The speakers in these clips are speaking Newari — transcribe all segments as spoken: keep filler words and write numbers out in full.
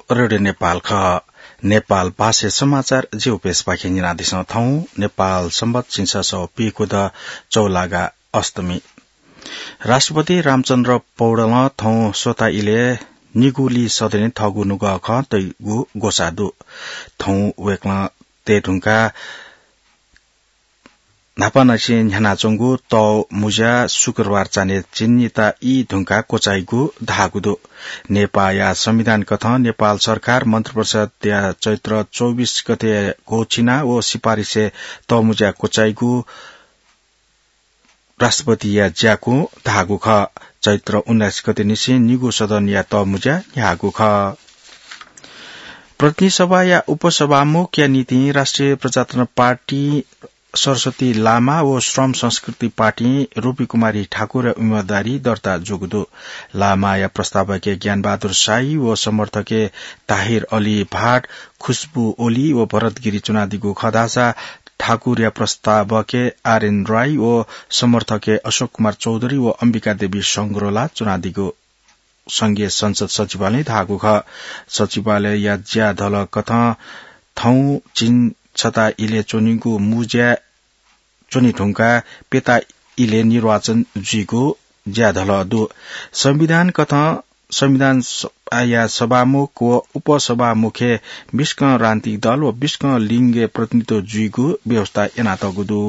रेडियो नेपाल खः। नेपाल भाषा समाचार ज्यू पेशपाखें न्यनादिसँ। थौं नेपाल संवत झिंछसः पीखुद चौलागा अष्टमी। राष्ट्रपति रामचन्द्र पौडेलं थौं स्वता इलय् निगुली सदने थःगु नुगः खँ तइगु ग्वसाः दु। थौं वय्कलं तये धुंकाः न्हापांनिसें न्ह्यानाच्वंगु तःमुँज्या शुक्रबार चान्हय् चिन्हिता ई धुंकाः क्वचाइगु धाःगु दु। नेपाःया संविधान कथं नेपाल सरकार मन्त्रिपरिषदया चैत्र चौबिस गते घोषिना व सिफारिसय् तःमुँज्या क्वचाइगु राष्ट्रपतिया ज्याकुं धाःगु खः। चैत्र उन्नाइस गते निसें निगू सदनया तःमुँज्या न्ह्याःगु खः। प्रतिनिधि सभाया उपसभामुखया निंतिं राष्ट्रिय प्रजातन्त्र पार्टी सरस्वती लामा व श्रम संस्कृति पार्टी रूपी कुमारी ठाकुरया उम्मेदवारी दर्ता जूगु दु। लामाया प्रस्तावके ज्ञानबहादुर शाही व समर्थके ताहिर अली भाट, खुशबु ओली व भरत गिरी च्वनादीगु खः धाःसा ठाकुरया प्रस्तावके आरएन राई व समर्थके अशोक कुमार चौधरी व अम्बिका देवी संग्रोला च्वनादीगु संघीय संसद सचिवालयं धाःगु खः। सचिवालयया ज्याधलकथं थौं झिंछता इलय् च्वनीगु मुँज्या च्वने धुंकाः प्यता इलय् निर्वाचन जुइगु ज्याधलः दु। संविधान कथं संविधान सभाया सभामुख व उपसभामुखय् बिस्कं राजनीतिक दल व बिस्कं लिंगय् प्रतिनिधित्व जुइगु व्यवस्था यानातःगु दु।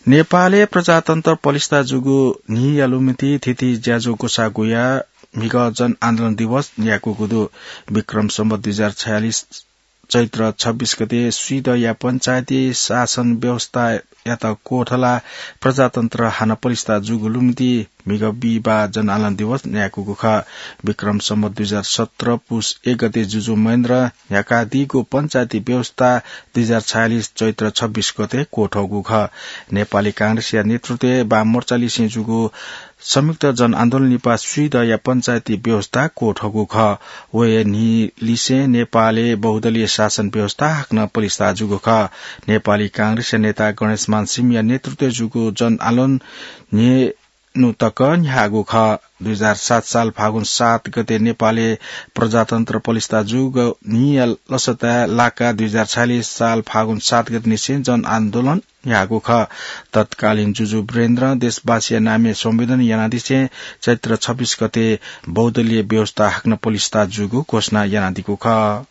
नेपालय् प्रजातन्त्र पलिस्था जूगु न्हिया लुमन्ति थीथी ज्याझ्वः ग्वसाः गुयाः म्हिगः जनआन्दोलन दिवस न्यायेकूगु दु। विक्रम सम्वत दुई हजार छयालिस चैत्र छब्बीस गते स्वीदँया पञ्चायती शासन व्यवस्थायात क्वथलाः प्रजातन्त्र हानं पलिस्था जूगु लुमन्ति म्हिगः बिहिबाः जनआन्दोलन दिवस न्यायेकूगु खः। विक्रम सम्वत दुई हजार सत्र पुस एक गते जुजु महेन्द्रं न्ह्याकादीगु पञ्चायती व्यवस्था दुई हजार छयालिस चैत्र छब्बीस गते क्वथःगु खः। नेपाली कांग्रेसया नेतृत्वय् वाममोर्चालिसें जूगु संयुक्त जनआन्दोलन लिपा स्वीदँया पञ्चायती व्यवस्था क्वथःगु खः। व हे न्हिलिसें नेपालय् बहुदलीय शासन व्यवस्था हाकनं पलिस्था जूगु खः। नेपाली कांग्रेसया नेता गणेशमान सिंहया नेतृत्वय् जूगु जनआन्दोलन न्हय्न्हु तक न्ह्याःगु खः। दुई हजार सात साल फागुन सात गते नेपालय् प्रजातन्त्र पलिस्था जूगु न्हिया लसताय् लाकाः दुई हजार छयालिस साल फागुन सात गते निसें जनआन्दोलन न्ह्याःगु खः। तत्कालीन जुजु वीरेन्द्रं देशवासीया नामय् संवेदन यानादिसें चैत्र छब्बीस गते बहुदलीय व्यवस्था हाकनं पलिस्था जूगु घोषणा यानादीगु खः।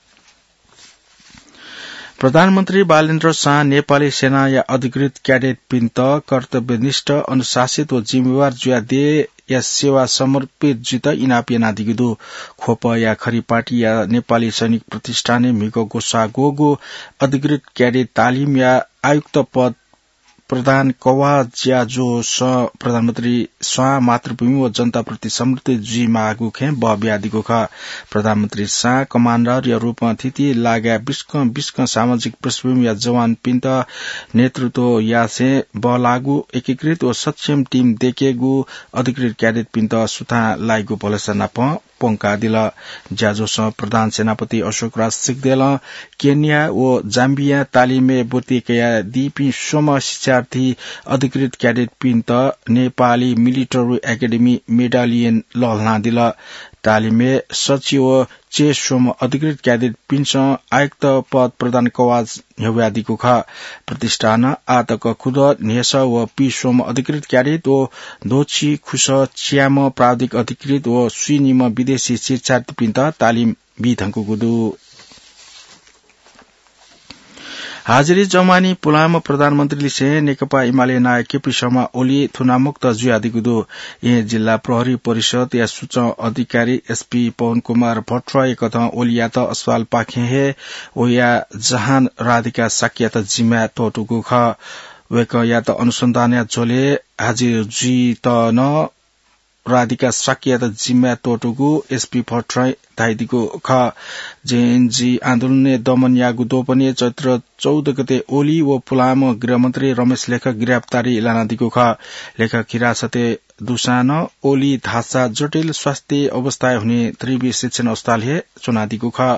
प्रधानमन्त्री बालेन्द्र शाहं नेपाली सेनाया अधिकृत क्याडेटपिन्त कर्तव्यनिष्ठ, अनुशासित व जिम्मेवार जुयाः देय्‌या सेवा समर्पित जुइत इनाप यानादीगु दु। ख्वपया खरिपाटिया नेपाली सैनिक प्रतिष्ठानय् म्हिगः ग्वसाः ग्वःगु अधिकृत क्याडेट तालिमया आयुक्त पद प्रदान कवाः ज्याझ्वलय् प्रधानमन्त्री शाहं मातृभूमि व जनताप्रति समर्पित जुइमाःगु खँय् बः बियादीगु खः। प्रधानमन्त्री शाहं कमाण्डरया रूपं थीथी लागाय् बिस्कं बिस्कं सामाजिक पृष्ठभूमिया जवानपिन्त नेतृत्व यासें बल्लाःगु एकीकृत व सक्षम टिम दयेकेगु अधिकृत क्याडेटपिन्त सुथां लाइगु भलसा नाप प्वंकादिल। ज्याझ्वलय् प्रधान सेनापति अशोकराज सिग्देलं केन्या व जाम्बियां तालिमय् ब्वति कयादीपिं स्वम्ह शिक्षार्थी अधिकृत क्याडेटपिन्त नेपाली मिलिटरी एकेडेमी मेडालियन लःल्हानादिल। तालिमय् सच्छि व च्यय् स्वम्ह अधिकृत क्याडेटपिन्सं आयुक्त पद प्रदान कवाः न्ह्यब्वयादीगु खः। प्रतिष्ठानं आःतक खुदँ न्हय्सः व पीस्वम्ह अधिकृत क्याडेट व द्वःछि खुसः च्याम्ह प्राविधिक अधिकृत व स्वीनिम्ह विदेशी शिक्षार्थीपिन्त तालिम बीधुंकूगु दु। हाजिरी जमानी पुलांम्ह प्रधानमन्त्रीलिसें नेकपा एमाले नायः केपी शर्मा ओली थुनामुक्त जुयादीगु दु। येँ जिल्ला प्रहरी परिषदया सूचना अधिकारी एसपी पवन कुमार भट्टराईकथं ओलीयात अस्पतालपाखें हे वया जहान राधिका शाक्ययात जिम्माय् त्वःतूगु खः। वय्कःयात अनुसन्धानया झ्वलय् हाजिर जुइत नं राधिका शाक्ययात जिम्माय् त्वःतूगु एसपी भट्टराईं धयादीगु खः। जेएनजी आन्दोलनय् दमन याःगु द्वपनय् चैत्र चौध गते ओली व पुलांम्ह गृहमन्त्री रमेश लेखक गिरफ्तारी लानादीगु खः। लेखक हिरासतय् दुसां ओली धाःसा जटिल स्वास्थ्य अवस्थाय् हुने त्रिवि शिक्षण अस्पताल हे च्वनादीगु खः।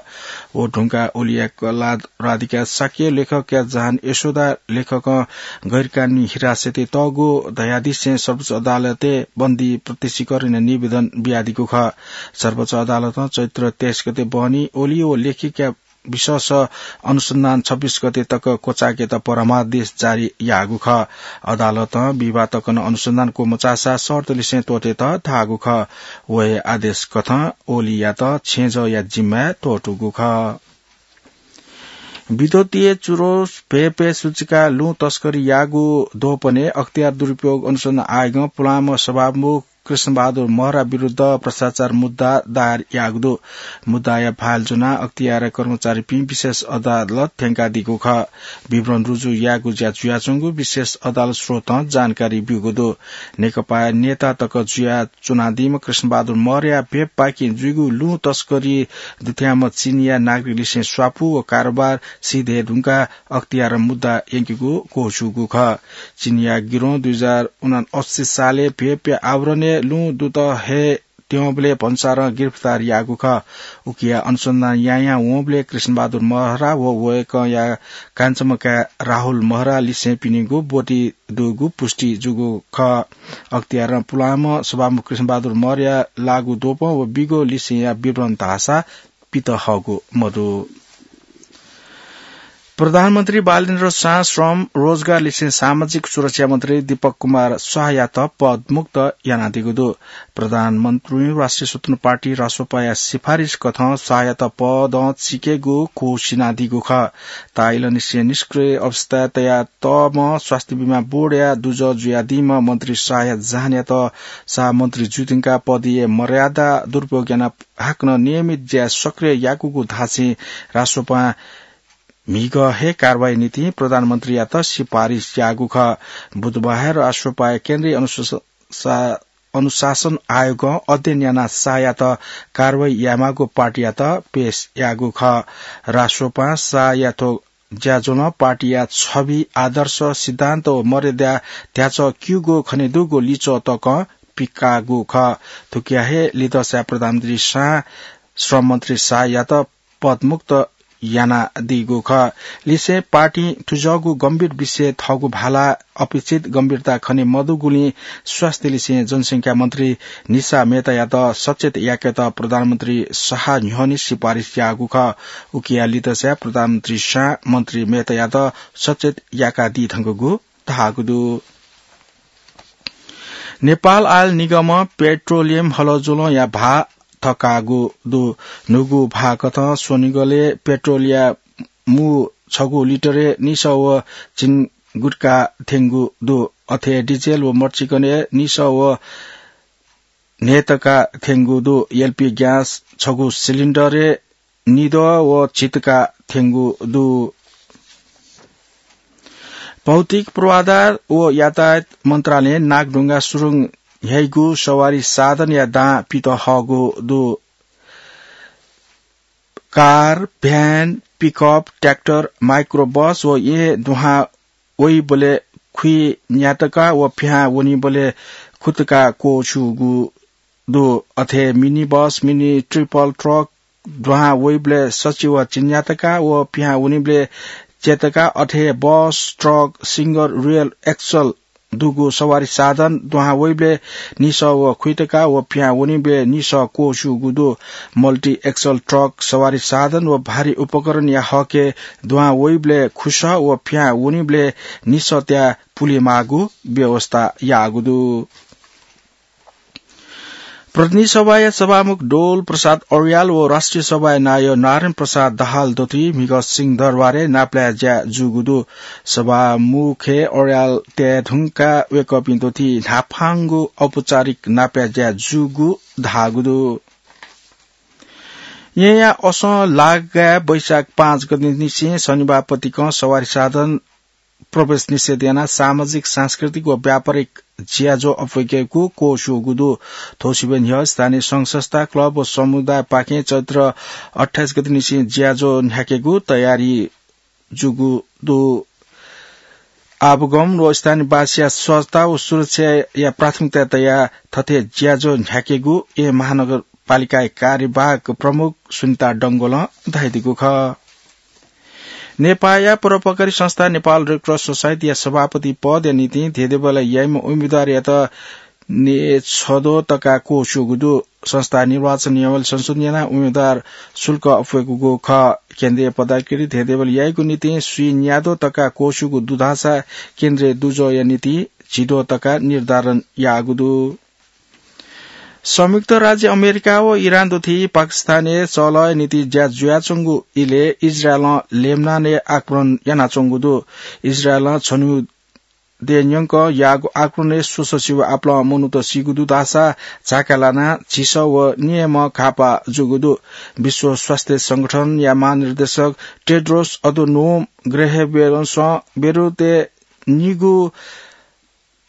व धुंकाः ओलीया कला राधिका शाक्य, लेखकया जहान यशोदा लेखकं गैरकानूनी हिरासतय् तःगु धयादिसें सर्वोच्च अदालतय् बन्दी प्रत्यक्षीकरणया निवेदन बियादीगु खः। सर्वोच्च अदालतं चैत्र तेइस गते बहनी ओली व लेखकया विशेष अनुसन्धान छब्बीस गते तक क्वचायेकेत परामर्श जारी याःगु खः। अदालतं विवाद तकं अनुसन्धान क्वमचाःसा शर्तलिसें त्वःतेत धाःगु खः। व हे आदेश कथं ओलीयात छेँजःया जिम्माय् त्वःतूगु खः। विद्युतीय चुरोट भ्वय् भ्वय् सुचुकाः लुँ तस्करी याःगु द्वपनय् अख्तियार दुरुपयोग अनुसन्धान आयोगं पुलांम्ह सभामुख कृष्णबहादुर महरा विरुद्ध भ्रष्टाचार मुद्दा दायर याःगु दु। मुद्दाया फाइल ज्वनाः अख्तियार कर्मचारीपिं विशेष अदालत थ्यंकादीगु खः। विवरण रुजु यायेगु ज्या जुयाच्वंगु विशेष अदालत स्रोतं जानकारी ब्यूगु दु। नेकपा नेता तक जुयाच्वनादीम्ह कृष्णबहादुर महराया भ्वय्‌पाखें जुइगु लुँ तस्करी दुथ्याःम्ह चीनया नागरिकलिसें स्वापू व कारोबार सिधये धुंकाः अख्तियारं मुद्दा यंकेगु क्वःछूगु खः। चीनया गिरोहं दुई हजार उनासी सालय् भ्वय्‌प्या आवरणय् लुँ दुत हे त्यंबलय् भन्सारं गिरफ्तार याःगु खः। उकिया अनुसन्धान यायां वंबलय् कृष्णबहादुर महरा व वय्‌कःया कान्छम्ह काय् राहुल महरा लिसें पिनिगु ब्वति दुगु पुष्टि जूगु खः। अख्तियारं पुलांम्ह सभामुख कृष्णबहादुर महराया लाःगु द्वपं व बिगु लिसेंया विवरण धाःसा पित हःगु मदु। प्रधानमन्त्री बालेन्द्र शाह श्रम, रोजगार लिसें सामाजिक सुरक्षा मन्त्री दीपक कुमार शाहयात पदमुक्त यानादीगु दु। प्रधानमन्त्री राष्ट्रिय स्वतन्त्र पार्टी रासोपाया सिफारिस कथं शाहयात पदं चिकेगु घोषित यानादीगु खः। ताःइलंनिसें निष्क्रिय अवस्थाय् तयातःम्ह स्वास्थ्य बिमा बोर्डया दुजः जुयादीम्ह मन्त्री शाहया जहानयात शाह मन्त्री जुइधुंकाः पदीय मर्यादा दुरुपयोग यानाः हाकनं नियमित ज्याय् सक्रिय याकूगु धासें रासोपां म्हिगः हे कारवाही निंतिं प्रधानमन्त्रीयात सिफारिस याःगु खः। बुधबार रासोपाया केन्द्रीय अनुशा-, अनुशासन आयोगं अध्ययन यानाः शाहयात कारवाही यायेमाःगु पार्टीयात पेश याःगु खः। रासोपां शाहया थ्व ज्याझ्वलं पार्टीया छवि, आदर्श, सिद्धान्त व मर्यादा ध्याचः क्यूगु खनेदुगु लिच्वः तकं पिकाःगु खः। थुकिया हे लिधंसाय् प्रधानमन्त्री शाहं श्रम मन्त्री शाहयात पदमुक्त यानादीगु खः। लिसें पार्टीं थुज्वःगु गम्भीर विषय थःगु भाला अपेक्षित गम्भीरता खने मदुगुलिं स्वास्थ्य लिसें जनसंख्या मन्त्री निशा मेहतायात सचेत याकेत प्रधानमन्त्री शाह न्ह्यःने सिफारिस याःगु खः। उकिया लिधंसाय् प्रधानमन्त्री शाहं मन्त्री मेहतायात सचेत याकादी धुंकूगु धाःगु दु। नेपाल आयल निगमं पेट्रोलियम हलज्वलंया भाः थकाःगु दु। न्हूगु भाः कथं स्वनिगलय् पेट्रोलया मू छगू लिटरय् निसः व झिंगुतका थ्यंगु दु। अथे डिजेल व मर्चिकनय् निसः व न्हय्‌तका थ्यंगु दु। एलपी ग्यास छगू सिलिन्डरय् निद्वः व झिंतका थ्यंगु दु। भौतिक पूर्वाधार व यातायात मन्त्रालयं नागढुङ्गा सुरुङ न्ह्याइगु सवारी साधनया दां पित हःगु दु। Car, van, pickup, tractor, micro bus व येँ दुहां वइबलय् खुइन्यातका व पिहां वनीबलय् खुतका क्वःछूगु दु। अथे mini bus, mini triple truck दुहां वइबलय् सछि व झिंन्यातका व पिहां वनीबलय् च्यतका, अथे बस, ट्रक, सिंगल रियल एक्सल दुगु सवारी साधन दुहां वइबलय् निसः व खुइतका व पिहां वनीबलय् निसः क्वःछूगु दु। मल्टी एक्सल ट्रक सवारी साधन व भारी उपकरणया हकय् दुहां वइबलय् खुसः व पिहां वनीबलय् निसः त्याः पुलेमाःगु व्यवस्था याःगु दु। प्रतिनिधि सभाया सभामुख डोल प्रसाद अर्याल व राष्ट्रिय सभाया नायः नारायण प्रसाद दाहाल दथुइ म्हिगः सिंहदरबारय् नापलाये ज्या जूगु दु। सभामुखय् अर्याल तये धुंकाः वय्‌कःपिं दथुइ न्हापांगु औपचारिक नापलाये ज्या जूगु धाःगु दु। येँया असं लागाय् वैशाख पाँच गतेनिसें शनिबार पतिकं सवारी साधन प्रवेश निषेध यानाः सामाजिक, सांस्कृतिक व व्यापारिक ज्याझ्वः अप्वयेकेगु क्वःछूगु दु। थ्व सिबें न्ह्यः स्थानीय संघ संस्था, क्लब व समुदायपाखें चैत्र अट्ठाइस गतेनिसें ज्याझ्वः न्ह्याकेगु तयारी जूगु दु। आवागमन व स्थानीयवासीया सहजता व सुरक्षाया प्राथमिकता तयाः थथे ज्याझ्वः न्ह्याकेगु ए महानगरपालिकाया कार्यवाहक प्रमुख सुनिता डंगोलं धयादीगु खः। नेपाःया परोपकारी संस्था नेपाल रेड क्रस सोसाइटीया सभापति पदया निंतिं धेंधेंबल्लाः याइम्ह उम्मेदवारयात न्यय्छद्वः तका क्वःछ्यूगु दु। संस्था निर्वाचन नियमावली संशोधन यानाः उम्मेदवार शुल्क अप्वय्कूगु खः। केन्द्रीय पदाधिकारी धेंधेंबल्लाः याइगु निंतिं स्वीन्याद्वः तका क्वःछ्यूगु दु धाःसा केन्द्रीय दुजःया निंतिं झिद्वः तका निर्धारण याःगु दु। संयुक्त राज्य अमेरिका व इरान दुथि पाकिस्तानय् चहलया निंतिं ज्या जुयाच्वंगु इलय् इजरायलं लेबनानय् आक्रमण यानाच्वंगु दु। इजरायलं छन्हु देय् न्यंकं याःगु आक्रमणय् स्वसः सिबः आपालं मनूत सीगु दु धाःसा झाका लानाः झिसः व निम्ह घाःपाः जूगु दु। विश्व स्वास्थ्य संगठनया महानिर्देशक टेड्रोस अधनोम गेब्रेयेससं बेरुतय् निगू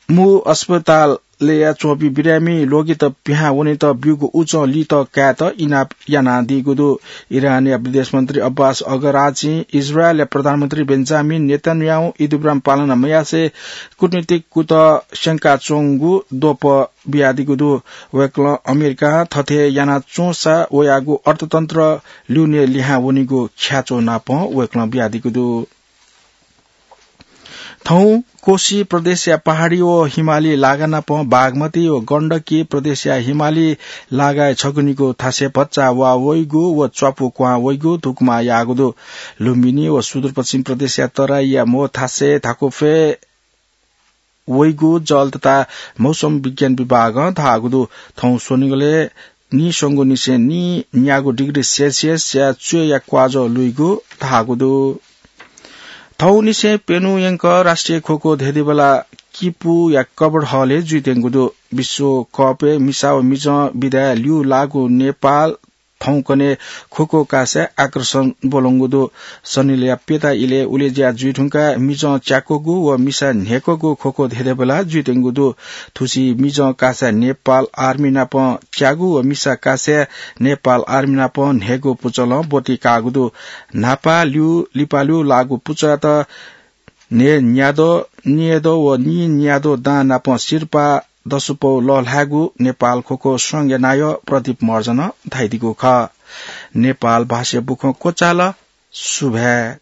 मू अस्पतालय् च्वंपिं बिरामी रोगीत पिहां वनेत ब्यूगु उचं लित कायेत इनाप यानादीगु दु। इरानया विदेश मन्त्री अब्बास अराघचीं इजरायलया प्रधानमन्त्री बेन्जामिन नेतन्याहु इदुब्राम पालना मयासें कूटनीतिक कुतः स्यंकाच्वंगु द्वपं बियादीगु दु। वय्कलं अमेरिकां थथे यानाच्वंसा वयागु अर्थतन्त्र ल्यूने लिहां वनीगु ख्याच्वः नापं वय्कलं बियादीगु दु। थौं कोशी प्रदेशया पहाडी व हिमाली लागा नाप बागमती व गण्डकी प्रदेशया हिमाली लागाय् छगू निगू थासय् भचा वा वइगु व च्वापु क्वहां वइगु धुकुमा याःगु दु। लुम्बिनी व सुदूरपश्चिम प्रदेशया तराईया म्हो थासय् धाकुफ्वय् वइगु जल तथा मौसम विज्ञान विभागं धाःगु दु। थौं स्वनिगलय् नीस्वंगू निसें नीन्यागू डिग्री सेल्सियसया च्वय्या क्वाजः लुइगु धाःगु दु। थौंनिसें प्यन्हु यंकः राष्ट्रिय खोखो धेंधेंबल्लाः किपुया कबड हलय् जुइत्यंगु दु। विश्वकपय् मिसा व मिजं विधाय् ल्यू लाःगु नेपाल थौंकन्हय् खोखो कासाय् आकर्षण ब्वलंगु दु। सनिलया प्यता इलय् उलेज्या जुइधुंकाः मिजं च्याक्वःगु व मिसा न्हय्कःगु खोखो धेंधेंबल्लाः जुइत्यंगु दु। थुसी मिजं कासाय् नेपाल आर्मी नाप च्याःगु व मिसा कासाय् नेपाल आर्मी नाप न्हय्गू पुचलं ब्वति काःगु दु। न्हापा ल्यू लिपालु लाःगु पुचःयात न्हय्न्याद्वः, नीन्याद्वः व नीन्याद्वः दां नाप सिरपाः दसुपौ लःल्हायेगु नेपाल खोखो संघया नायः प्रदीप महर्जनं धयादीगु खः। नेपाल भाषाय् बुखँ क्वचाल। सुभाय्।